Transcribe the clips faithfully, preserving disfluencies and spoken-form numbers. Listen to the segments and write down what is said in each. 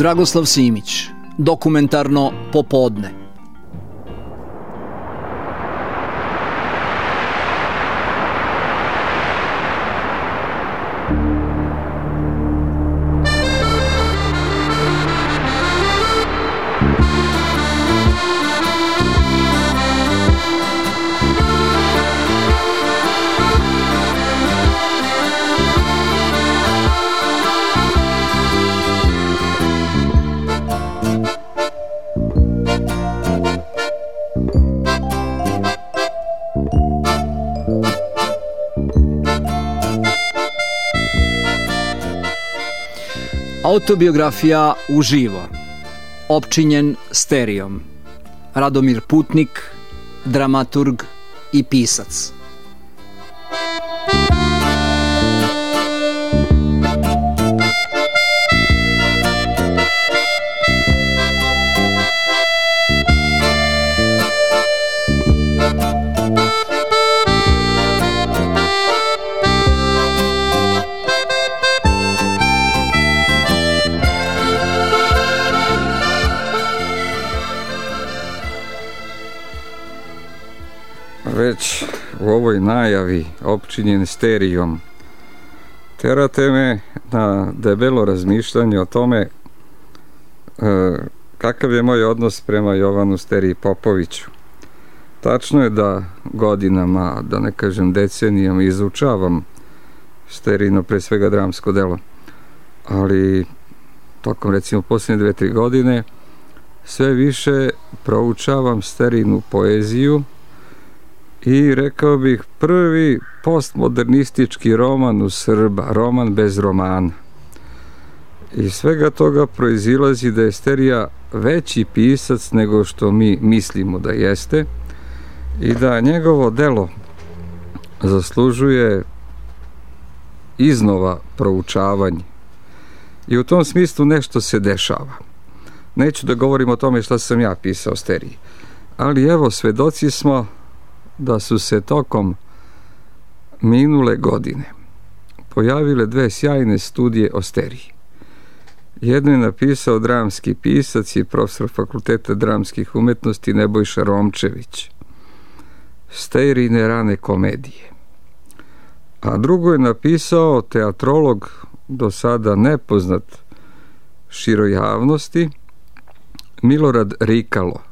Dragoslav Simić, Dokumentarno popodne. Autobiografija uživo, opčinjen sterijom. Radomir Putnik, dramaturg i pisac. Već u ovoj najavi opčinjen sterijom terate me na debelo razmišljanje o tome e, kakav je moj odnos prema Jovanu Steriji Popoviću. Tačno je da godinama, da ne kažem decenijama, izučavam Sterijino pre svega dramsko delo, ali tokom recimo posljednje dve, tri godine sve više proučavam Sterijinu poeziju i rekao bih prvi postmodernistički roman u Srba, roman bez romana. I svega toga proizilazi da je Sterija veći pisac nego što mi mislimo da jeste i da njegovo delo zaslužuje iznova proučavanje. I u tom smislu nešto se dešava. Neću da govorim o tome šta sam ja pisao o Steriji, ali evo, svedoci smo da su se tokom minule godine pojavile dve sjajne studije o Steriji. Jedno je napisao dramski pisac i profesor Fakulteta dramskih umetnosti Nebojša Romčević, Sterijine rane komedije. A drugo je napisao teatrolog, do sada nepoznat široj javnosti, Milorad Rikalo,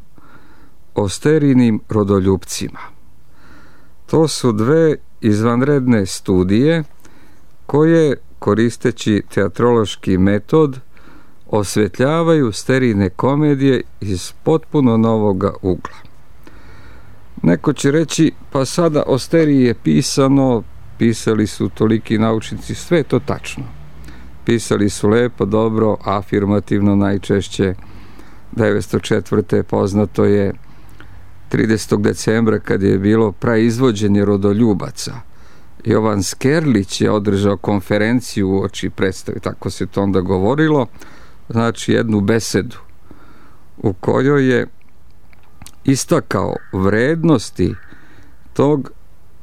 o Sterijinim rodoljupcima. To su dve izvanredne studije koje, koristeći teatrološki metod, osvetljavaju Sterijine komedije iz potpuno novoga ugla. Neko će reći, pa sada o Steriji je pisano, pisali su toliki naučnici, sve je to tačno. Pisali su lepo, dobro, afirmativno najčešće. devetsto četvrte poznato je tridesetog decembra kad je bilo praizvođenje rodoljubaca. Jovan Skerlić je održao konferenciju uoči predstave, tako se to onda govorilo, znači jednu besedu u kojoj je istakao vrednosti tog,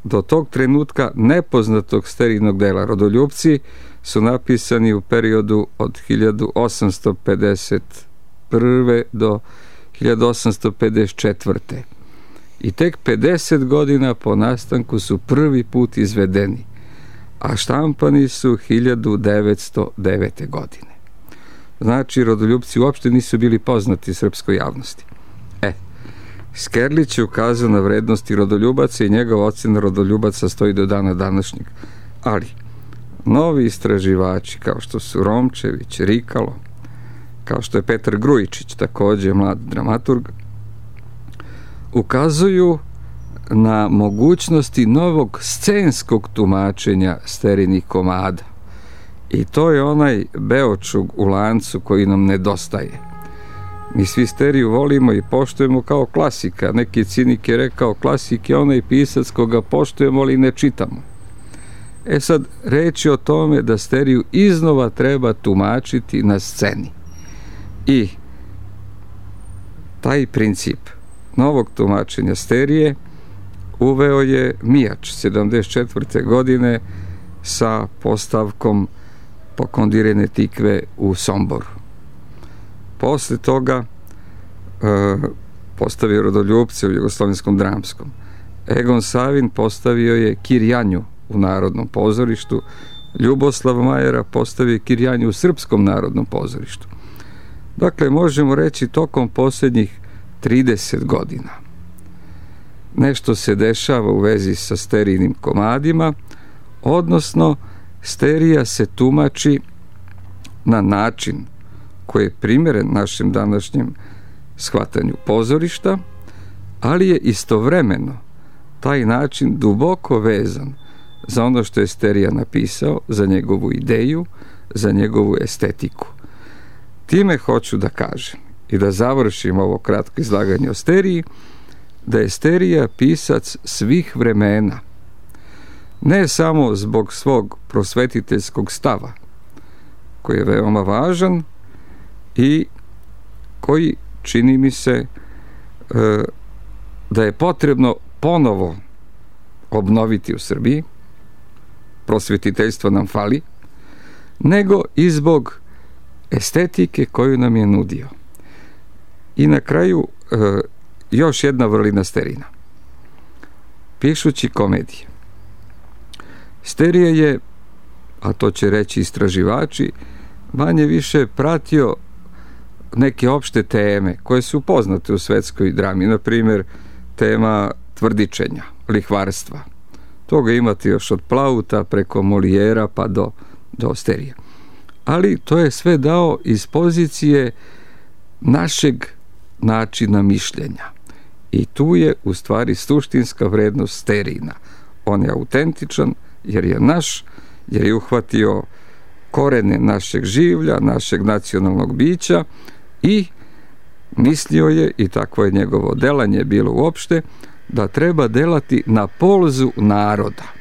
do tog trenutka nepoznatog Sterijinog dela. Rodoljupci su napisani u periodu od hiljadu osamsto pedeset prve do hiljadu osamsto pedeset četvrte i tek pedeset godina po nastanku su prvi put izvedeni, a štampani su hiljadu devetsto devete godine. Znači, rodoljupci uopšte nisu bili poznati srpskoj javnosti. E, Skerlić je ukazao na vrednosti rodoljubaca i njegova ocena rodoljubaca stoji do dana današnjeg. Ali novi istraživači, kao što su Romčević, Rikalo, kao što je Petar Grujičić, također mlad dramaturg, ukazuju na mogućnosti novog scenskog tumačenja Sterijinih komada. I to je onaj beočug u lancu koji nam nedostaje. Mi svi Steriju volimo i poštujemo kao klasika. Neki cinik je rekao, klasik je onaj pisac koga poštujemo, ali ne čitamo. E sad, reč je o tome da Steriju iznova treba tumačiti na sceni. I taj princip novog tumačenja Sterije uveo je Mijač sedamdeset četvrte godine sa postavkom Pokondirene tikve u Somboru. Posle toga e, postavio Rodoljupce u Jugoslovenskom dramskom. Egon Savin postavio je Kirjanju u Narodnom pozorištu, Ljuboslav Majera postavio Kirjanju u Srpskom narodnom pozorištu. Dakle, možemo reći tokom posljednjih trideset godina nešto se dešava u vezi sa sterijnim komadima, odnosno sterija se tumači na način koji je primjeren našem današnjem shvatanju pozorišta, ali je istovremeno taj način duboko vezan za ono što je Sterija napisao, za njegovu ideju, za njegovu estetiku. Time hoću da kažem i da završim ovo kratko izlaganje o Steriji, da je Sterija pisac svih vremena, ne samo zbog svog prosvetiteljskog stava, koji je veoma važan i koji, čini mi se, da je potrebno ponovo obnoviti u Srbiji, prosvetiteljstvo nam fali, nego i zbog estetike koju nam je nudio. I na kraju još jedna vrlina Sterina. Pišući komedije, Sterija je, a to će reći istraživači, manje više pratio neke opšte teme koje su poznate u svetskoj drami, na primjer tema tvrdičenja, lihvarstva. Toga imate još od Plauta preko Molijera pa do, do Sterije. Ali to je sve dao iz pozicije našeg načina mišljenja. I tu je u stvari suštinska vrednost Sterijina. On je autentičan jer je naš, jer je uhvatio korene našeg življa, našeg nacionalnog bića i mislio je, i takvo je njegovo delanje bilo uopšte, da treba delati na polzu naroda.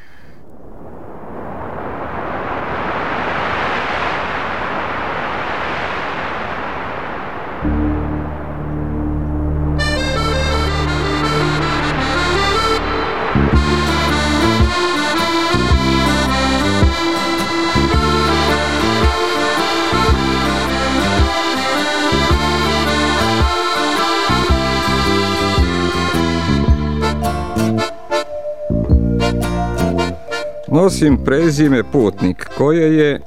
Nosim prezime Putnik, koje je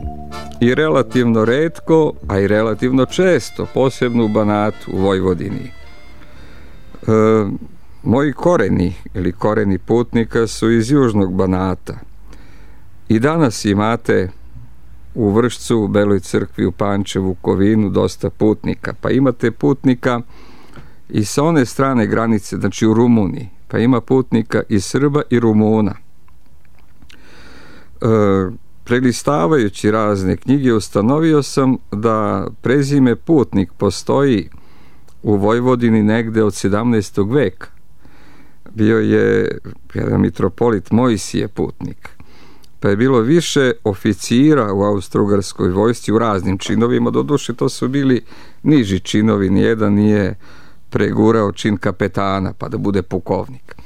i relativno retko, a i relativno često, posebno u Banatu, u Vojvodini. E, moji koreni, ili koreni Putnika, su iz južnog Banata. I danas imate u Vršcu, u Beloj crkvi, u Pančevu, u Kovinu, dosta putnika. Pa imate putnika i sa one strane granice, znači u Rumuniji. Pa ima putnika i Srba i Rumuna. E, prelistavajući razne knjige ustanovio sam da prezime Putnik postoji u Vojvodini negde od sedamnaestog veka. Bio je jedan mitropolit Mojsije Putnik, pa je bilo više oficira u Austro-Ugarskoj vojsci u raznim činovima, doduše to su bili niži činovi, nijedan nije pregurao čin kapetana pa da bude pukovnik.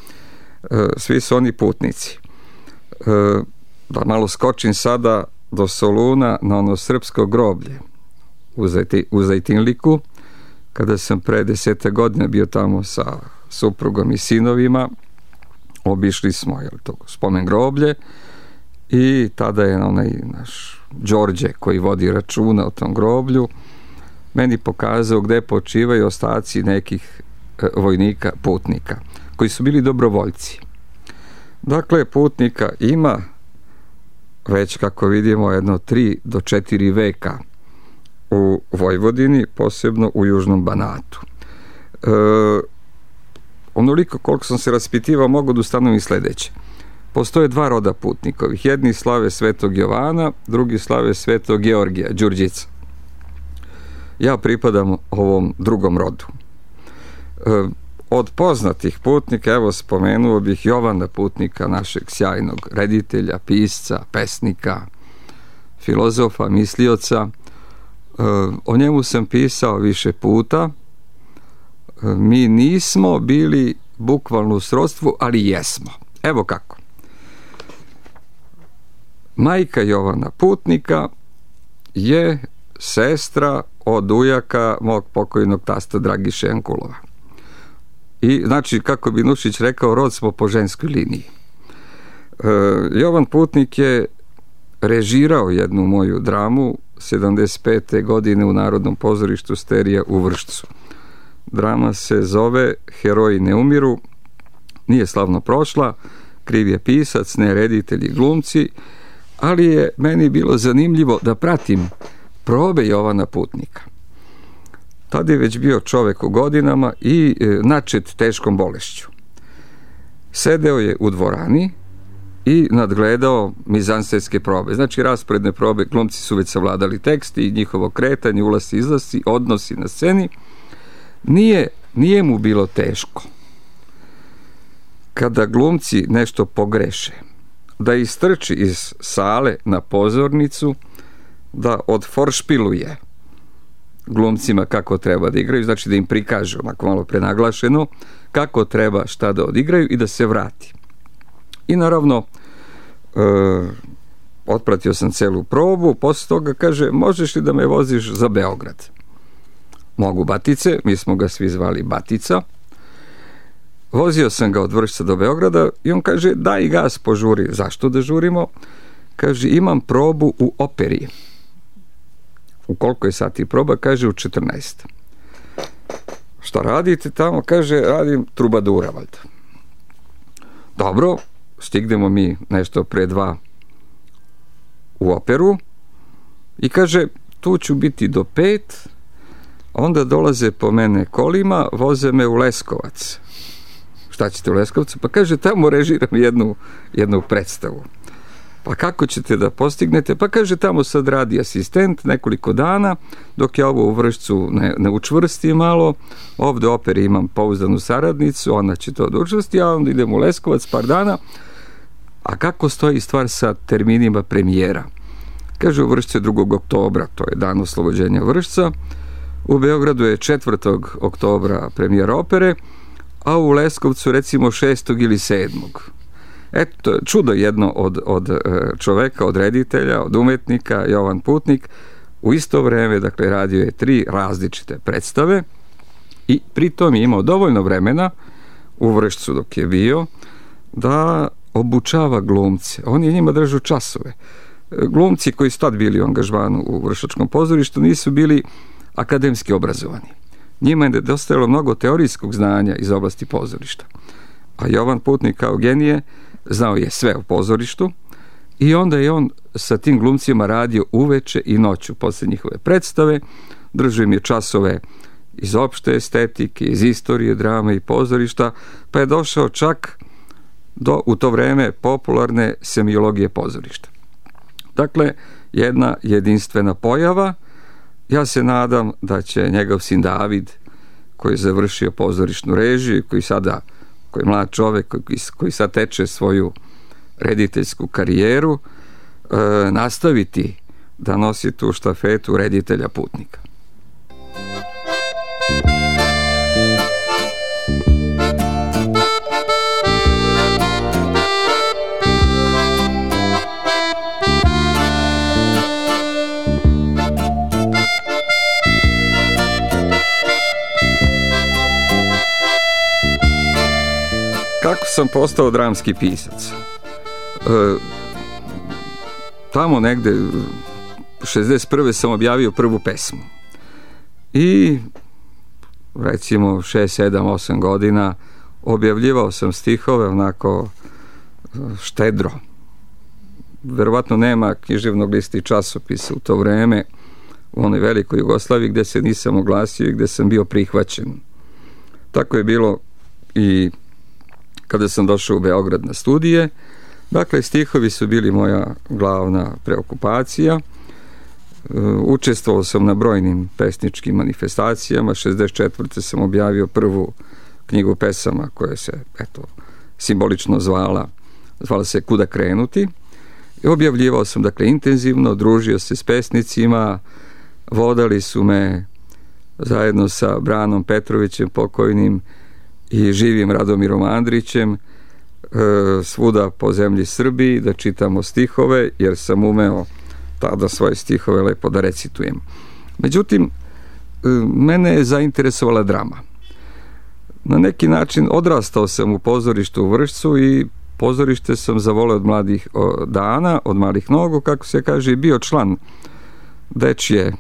E, svi su oni putnici. E, Da malo skočim sada do Soluna na ono srpsko groblje u, Zajti, u Zajtinliku, kada sam pre deseta godina bio tamo sa suprugom i sinovima, obišli smo jel, to spomen groblje i tada je onaj naš Đorđe koji vodi računa o tom groblju meni pokazao gde počivaju ostaci nekih e, vojnika putnika koji su bili dobrovoljci. Dakle, putnika ima već, kako vidimo, jedno tri do četiri veka u Vojvodini, posebno u južnom Banatu. E, onoliko koliko sam se raspitivao, mogu da ustanovim sledeće. Postoje dva roda putnikovih. Jedni slave Svetog Jovana, drugi slave Svetog Georgija, Đurđica. Ja pripadam ovom drugom rodu. E, Od poznatih putnika, evo spomenuo bih Jovana Putnika, našeg sjajnog reditelja, pisca, pesnika, filozofa, mislioca. O njemu sam pisao više puta. Mi nismo bili bukvalno u srodstvu, ali jesmo. Evo kako. Majka Jovana Putnika je sestra od ujaka mog pokojnog tasta Dragiše Jankulova. I znači, kako bi Nušić rekao, rod smo po ženskoj liniji. E, Jovan Putnik je režirao jednu moju dramu sedamdeset pete godine u Narodnom pozorištu Sterija u Vršcu. Drama se zove Heroji ne umiru, nije slavno prošla, kriv je pisac, ne reditelji, glumci, ali je meni bilo zanimljivo da pratim probe Jovana Putnika. Tad je već bio čovek u godinama i e, načet teškom bolešću. Sedeo je u dvorani i nadgledao mizansenske probe. Znači, rasporedne probe, glumci su već savladali tekst i njihovo kretanje, ulasci, izlasci, odnosi na sceni. Nije, nije mu bilo teško kada glumci nešto pogreše, da istrči iz sale na pozornicu, da odforšpiluje glumcima kako treba da igraju, znači da im prikaže onako malo prenaglašeno kako treba šta da odigraju i da se vrati. I naravno e, otpratio sam celu probu, posle toga kaže, možeš li da me voziš za Beograd? Mogu, Batice, mi smo ga svi zvali Batica. Vozio sam ga od Vršca do Beograda i on kaže, daj gas, požuri. Zašto da žurimo? Kaže, imam probu u operi. U koliko je sati proba? Kaže, u četrnaest. Šta radite tamo? Kaže, radim trubadura, valjda. Dobro, stignemo mi nešto pre dva u operu i kaže, tu ću biti do pet, onda dolaze po mene kolima, voze me u Leskovac. Šta ćete u Leskovcu? Pa kaže, tamo režiram jednu, jednu predstavu. Pa kako ćete da postignete? Pa kaže, tamo sad radi asistent nekoliko dana, dok ja ovo u Vršcu ne, ne učvrstim malo, ovde u operi imam pouzdanu saradnicu, ona će to da učvrsti, a onda idem u Leskovac par dana. A kako stoji stvar sa terminima premijera? Kaže, u Vršcu je drugog oktobra, to je dan oslobođenja Vršca, u Beogradu je četvrtog oktobra premijera opere, a u Leskovcu recimo šestog ili sedmog. Eto, čudo jedno od, od čoveka, od reditelja, od umetnika, Jovan Putnik, u isto vreme, dakle, radio je tri različite predstave i pritom je imao dovoljno vremena u Vršcu dok je bio da obučava glumce. On je njima držao časove. Glumci koji su tad bili u angažmanu u Vršačkom pozorištu nisu bili akademski obrazovani. Njima je nedostajalo mnogo teorijskog znanja iz oblasti pozorišta. A Jovan Putnik kao genije znao je sve o pozorištu i onda je on sa tim glumcima radio uveče i noću posle njihove predstave, držao im je časove iz opšte estetike, iz istorije, drame i pozorišta, pa je došao čak do, u to vreme, popularne semiologije pozorišta. Dakle, jedna jedinstvena pojava. Ja se nadam da će njegov sin David, koji je završio pozorišnu režiju, koji sada, koji je mlad čovek, koji, koji sad teče svoju rediteljsku karijeru, e, nastaviti da nosi tu štafetu reditelja Putnika. Kako sam postao dramski pisac? E, tamo negde šezdeset prve sam objavio prvu pesmu i recimo šest, sedam, osam godina objavljivao sam stihove onako štedro. Verovatno nema književnog lista i časopisa u to vreme u onoj velikoj Jugoslaviji gde se nisam oglasio i gde sam bio prihvaćen. Tako je bilo i kada sam došao u Beograd na studije. Dakle, stihovi su bili moja glavna preokupacija. Učestvovao sam na brojnim pesničkim manifestacijama. šezdeset četvrte sam objavio prvu knjigu pesama koja se, eto, simbolično zvala, zvala se Kuda krenuti. I objavljivao sam, dakle, intenzivno, družio se s pesnicima, vodali su me zajedno sa Branom Petrovićem pokojnim i živim Radomirom Andrićem svuda po zemlji Srbiji da čitamo stihove, jer sam umeo tada svoje stihove lepo da recitujem. Međutim, mene je zainteresovala drama. Na neki način odrastao sam u pozorištu u Vršcu i pozorište sam zavoleo od mladih dana, od malih nogu, kako se kaže, i bio član dečje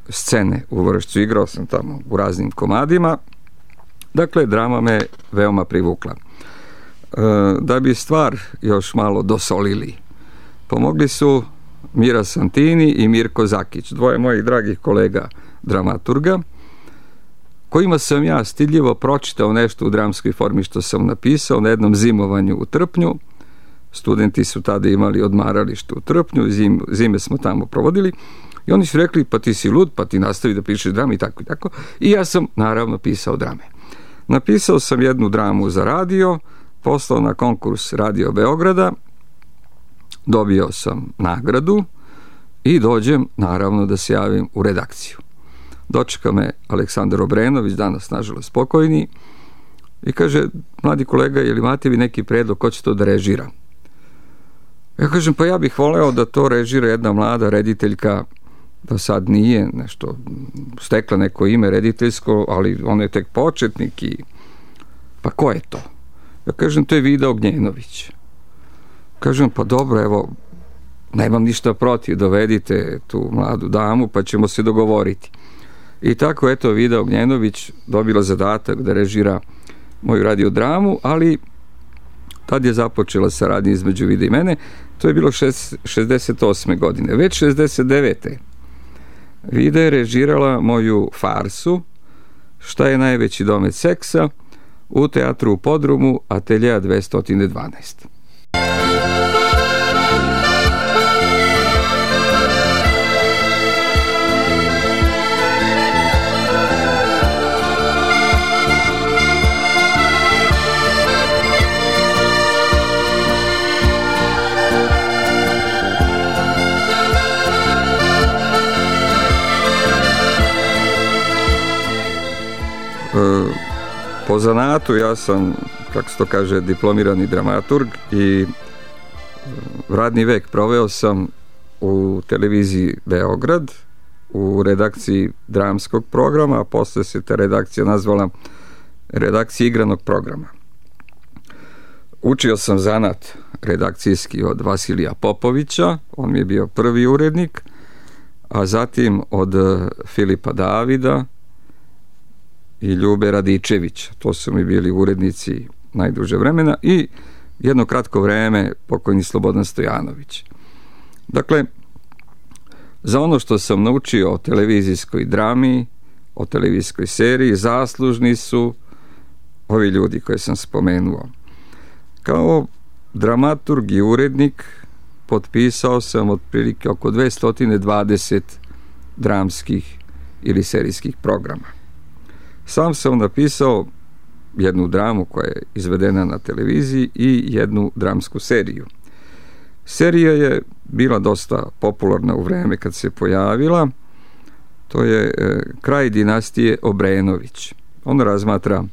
scene u Vršcu. Igrao sam tamo u raznim komadima. Dakle, drama me veoma privukla. Da bi stvar još malo dosolili, pomogli su Mira Santini i Mirko Zakić, dvoje mojih dragih kolega dramaturga, kojima sam ja stidljivo pročitao nešto u dramskoj formi što sam napisao na jednom zimovanju u Trpnju. Studenti su tada imali odmaralište u Trpnju, zim, zime smo tamo provodili, i oni su rekli, pa ti si lud, pa ti nastavi da pišeš drame i tako i tako. I ja sam naravno pisao drame. Napisao sam jednu dramu za radio, poslao na konkurs Radio Beograda, dobio sam nagradu i dođem naravno da se javim u redakciju. Dočeka me Aleksandar Obrenović, danas nažalost pokojni, i kaže, mladi kolega, je li imate vi neki predlog ko će to da režira? Ja kažem, pa ja bih voleo da to režira jedna mlada rediteljka, da sad nije nešto stekla neko ime rediteljsko, ali on je tek početnik. I pa ko je to? Ja kažem, to je Vida Ognjenović. Kažem, pa dobro, evo, nemam ništa protiv, dovedite tu mladu damu pa ćemo se dogovoriti. I tako, eto, Vida Ognjenović dobila zadatak da režira moju radiodramu, ali tad je započela saradnja između Vida i mene. To je bilo šezdeset osme godine. Već šezdeset devete Vida je režirala moju farsu Šta je najveći domet seksa u teatru u Podrumu, Ateljea dvesta dvanaest. Po zanatu ja sam, kako se to kaže, diplomirani dramaturg i radni vek proveo sam u televiziji Beograd, u redakciji dramskog programa, a posle se ta redakcija nazvala redakcija igranog programa. Učio sam zanat redakcijski od Vasilija Popovića, on mi je bio prvi urednik, a zatim od Filipa Davida i Ljube Radičevića. To su mi bili urednici najduže vremena i jedno kratko vreme pokojni Slobodan Stojanović. Dakle, za ono što sam naučio o televizijskoj drami, o televizijskoj seriji, zaslužni su ovi ljudi koje sam spomenuo. Kao dramaturg i urednik potpisao sam otprilike oko dvesta dvadeset dramskih ili serijskih programa. Sam sam napisao jednu dramu koja je izvedena na televiziji i jednu dramsku seriju. Serija je bila dosta popularna u vreme kad se pojavila. To je e, kraj dinastije Obrenović. On razmatra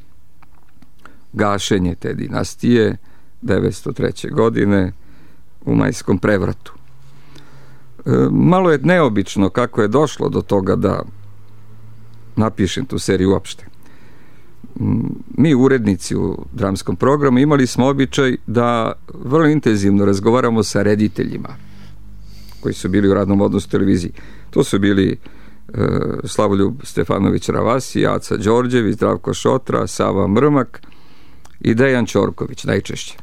gašenje te dinastije devetsto treće. godine u Majskom prevratu. E, malo je neobično kako je došlo do toga da napišem tu seriju uopšte. Mi urednici u dramskom programu imali smo običaj da vrlo intenzivno razgovaramo sa rediteljima koji su bili u radnom odnosu televiziji. To su bili e, Slavoljub Stefanović Ravasi, Aca Đorđević, Zdravko Šotra, Sava Mrmak i Dejan Ćorković najčešće.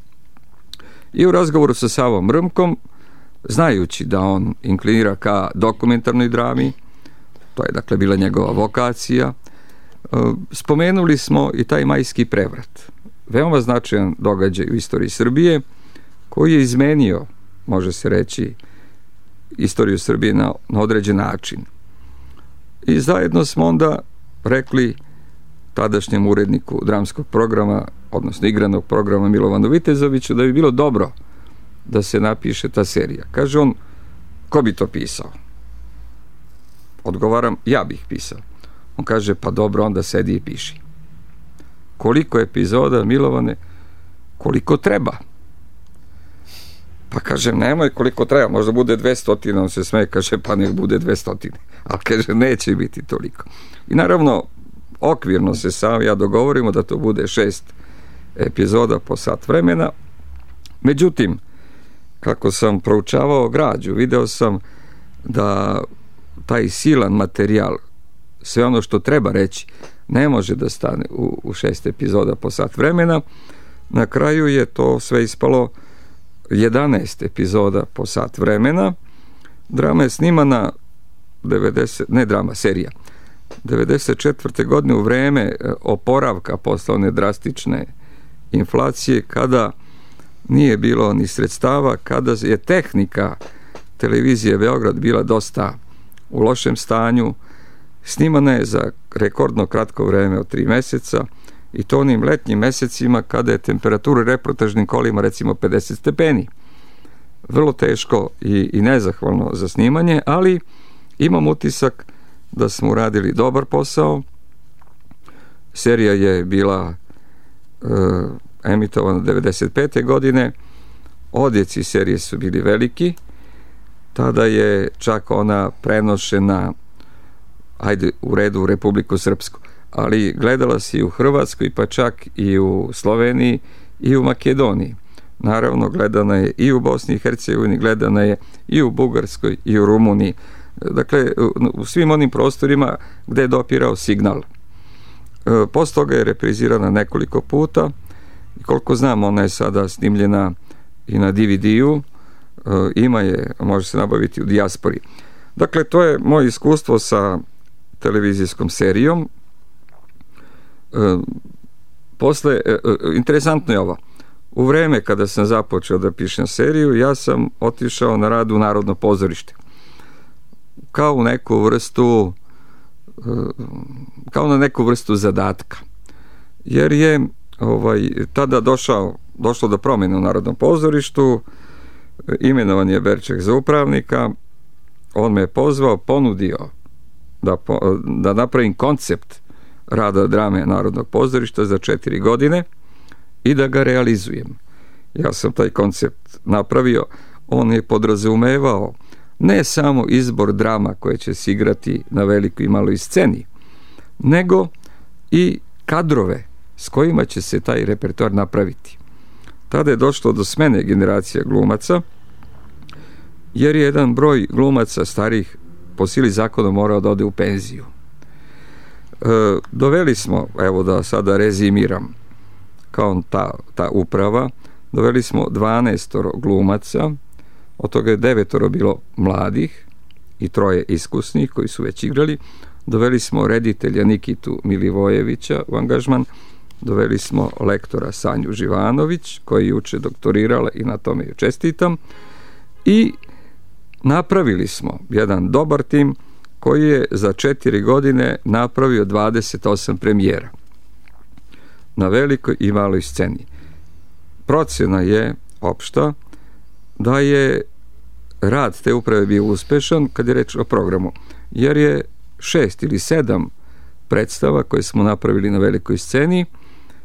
I u razgovoru sa Savom Mrmkom, znajući da on inklinira ka dokumentarnoj drami, to je dakle bila njegova vokacija, spomenuli smo i taj Majski prevrat. Veoma značajan događaj u istoriji Srbije koji je izmenio, može se reći, istoriju Srbije na, na određen način. I zajedno smo onda rekli tadašnjem uredniku dramskog programa, odnosno igranog programa Milovanu Vitezoviću, da bi bilo dobro da se napiše ta serija. Kaže on, ko bi to pisao? Odgovaram, ja bih pisao. On kaže, pa dobro, onda sedi i piši. Koliko epizoda, Milovane? Koliko treba? Pa kažem, nemoj koliko treba, možda bude dvestotine, on se smeje, kaže, pa nek bude dvestotine, ali kaže, neće biti toliko. I naravno, okvirno se sam ja dogovorimo da to bude šest epizoda po sat vremena. Međutim, kako sam proučavao građu, video sam da taj silan materijal, sve ono što treba reći, ne može da stane u, u šest epizoda po sat vremena. Na kraju je to sve ispalo jedanaest epizoda po sat vremena. Drama je snimana devedeset, ne drama, serija devedeset četvrte godine u vreme oporavka posle one drastične inflacije, kada nije bilo ni sredstava, kada je tehnika televizije Beograd bila dosta u lošem stanju. Snimana je za rekordno kratko vreme od tri meseca i to onim letnjim mesecima kada je temperatura u reportažnim kolima recimo pedeset stepeni. Vrlo teško i, i nezahvalno za snimanje, ali imam utisak da smo uradili dobar posao. Serija je bila e, emitovana devedeset pete godine. Odjeci serije su bili veliki. Tada je čak ona prenošena, ajde u redu, u Republiku Srpsku, ali gledala se i u Hrvatskoj, pa čak i u Sloveniji i u Makedoniji. Naravno, gledana je i u Bosni i Hercegovini, gledana je i u Bugarskoj i u Rumuniji. Dakle, u svim onim prostorima gde je dopirao signal. Posle toga je reprizirana nekoliko puta i koliko znam, ona je sada snimljena i na D V D-u, ima je, može se nabaviti u dijaspori. Dakle, to je moje iskustvo sa televizijskom serijom. Posle, interesantno je ovo, u vreme kada sam započeo da pišem seriju, ja sam otišao na rad u Narodno pozorište. Kao u neku vrstu kao na neku vrstu zadatka. Jer je ovaj, tada došao, došlo do promjene u Narodnom pozorištu, imenovan je Berček za upravnika, on me je pozvao, ponudio da, da napravim koncept rada drame Narodnog pozorišta za četiri godine i da ga realizujem. Ja sam taj koncept napravio, on je podrazumevao ne samo izbor drama koje će se igrati na velikoj i maloj sceni, nego i kadrove s kojima će se taj repertoar napraviti. Tada je došlo do smene generacija glumaca, jer je jedan broj glumaca starih po sili zakona morao da ode u penziju. E, doveli smo, evo da sada rezimiram, kao ta, ta uprava, doveli smo dvanaestoro glumaca, od toga je devetoro bilo mladih i troje iskusnih koji su već igrali. Doveli smo reditelja Nikitu Milivojevića u angažman, doveli smo lektora Sanju Živanović, koja je juče doktorirala i na tome ju čestitam, i napravili smo jedan dobar tim koji je za četiri godine napravio dvadeset osam premijera na velikoj i maloj sceni. Procjena je opšta da je rad te uprave bio uspešan kad je reč o programu, jer je šest ili sedam predstava koje smo napravili na velikoj sceni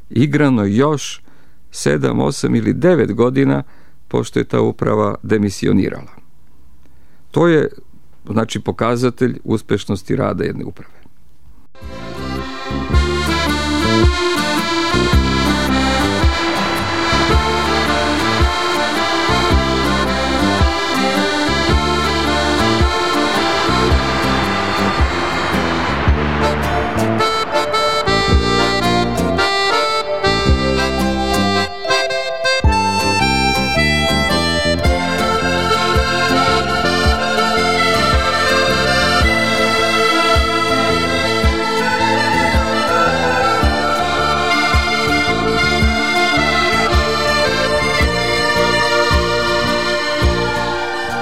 igrano još sedam, osam ili devet godina pošto je ta uprava demisionirala. To je, znači, pokazatelj uspešnosti rada jedne uprave.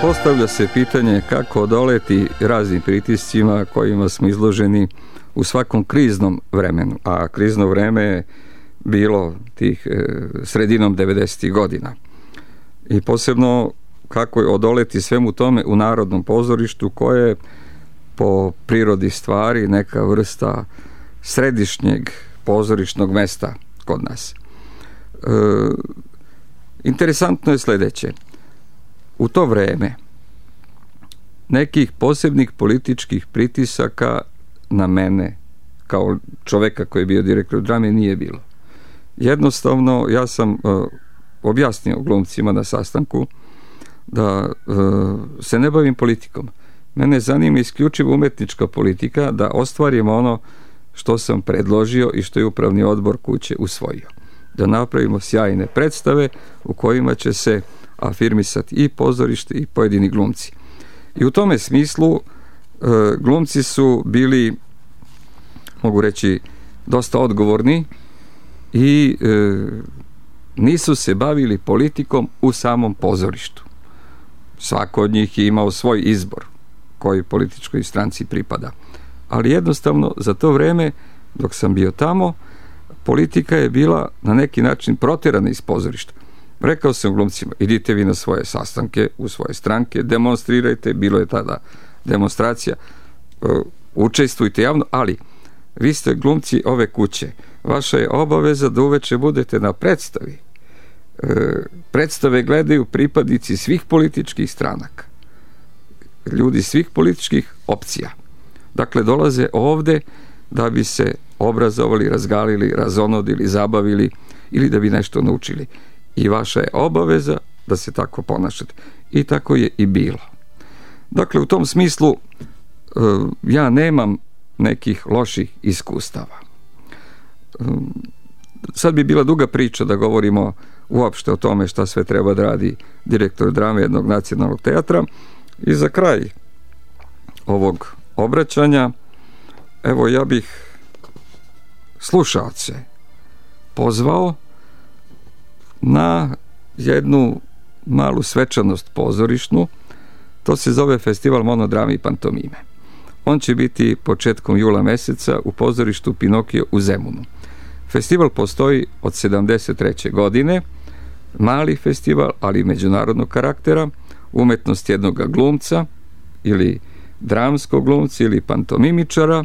Postavlja se pitanje kako odoleti raznim pritiscima kojima smo izloženi u svakom kriznom vremenu, a krizno vreme je bilo tih e, sredinom devedesetih godina. I posebno kako je odoleti svemu tome u Narodnom pozorištu, koje je po prirodi stvari neka vrsta središnjeg pozorišnog mesta kod nas. E, interesantno je sledeće. u to vreme nekih posebnih političkih pritisaka na mene kao čoveka koji je bio direktor drame nije bilo. Jednostavno, ja sam uh, objasnio glumcima na sastanku da uh, se ne bavim politikom. Mene zanima isključivo umetnička politika, da ostvarim ono što sam predložio i što je upravni odbor kuće usvojio. Da napravimo sjajne predstave u kojima će se afirmisati i pozorište i pojedini glumci. I u tome smislu uh, glumci su bili, mogu reći, dosta odgovorni i e, nisu se bavili politikom u samom pozorištu. Svako od njih je imao svoj izbor koji političkoj stranci pripada. Ali jednostavno za to vreme dok sam bio tamo, politika je bila na neki način protjerana iz pozorišta. Rekao sam glumcima, idite vi na svoje sastanke, u svoje stranke, demonstrirajte, bilo je tada demonstracija, e, učestvujte javno, ali vi ste glumci ove kuće. Vaša je obaveza da uveče budete na predstavi. E, predstave gledaju pripadnici svih političkih stranaka. Ljudi svih političkih opcija. Dakle, dolaze ovde da bi se obrazovali, razgalili, razonodili, zabavili ili da bi nešto naučili. I vaša je obaveza da se tako ponašate. I tako je i bilo. Dakle, u tom smislu e, ja nemam nekih loših iskustava. Sad bi bila duga priča da govorimo uopšte o tome šta sve treba da radi direktor drame jednog nacionalnog teatra. I za kraj ovog obraćanja, evo ja bih slušaoce pozvao na jednu malu svečanost pozorišnu. To se zove Festival monodrame i pantomime. On će biti početkom jula meseca u pozorištu Pinokio u Zemunu. Festival postoji od sedamdeset treće godine, mali festival, ali međunarodnog karaktera, umetnost jednog glumca ili dramskog glumca ili pantomimičara,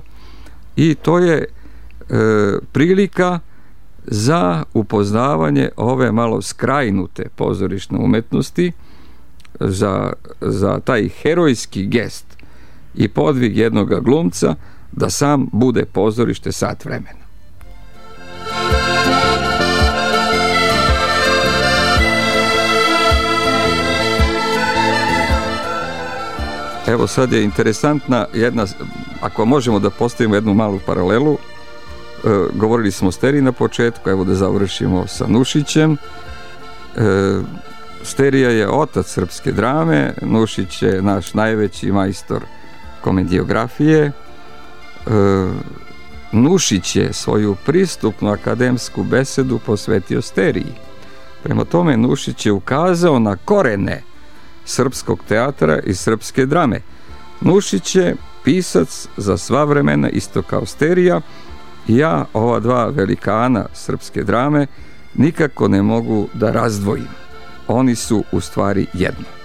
i to je e, prilika za upoznavanje ove malo skrajnute pozorišne umetnosti, za, za taj herojski gest i podvig jednog glumca da sam bude pozorište sat vremena. Evo sad je interesantna jedna, ako možemo da postavimo jednu malu paralelu, e, govorili smo o Steriji na početku, evo da završimo sa Nušićem. E, Sterija je otac srpske drame, Nušić je naš najveći majstor komediografije. E, Nušić je svoju pristupnu akademsku besedu posvetio Steriji. Prema tome, Nušić je ukazao na korene srpskog teatra i srpske drame. Nušić je pisac za sva vremena, isto kao Sterija, i ja ova dva velikana srpske drame nikako ne mogu da razdvojim. Oni su u stvari jedno.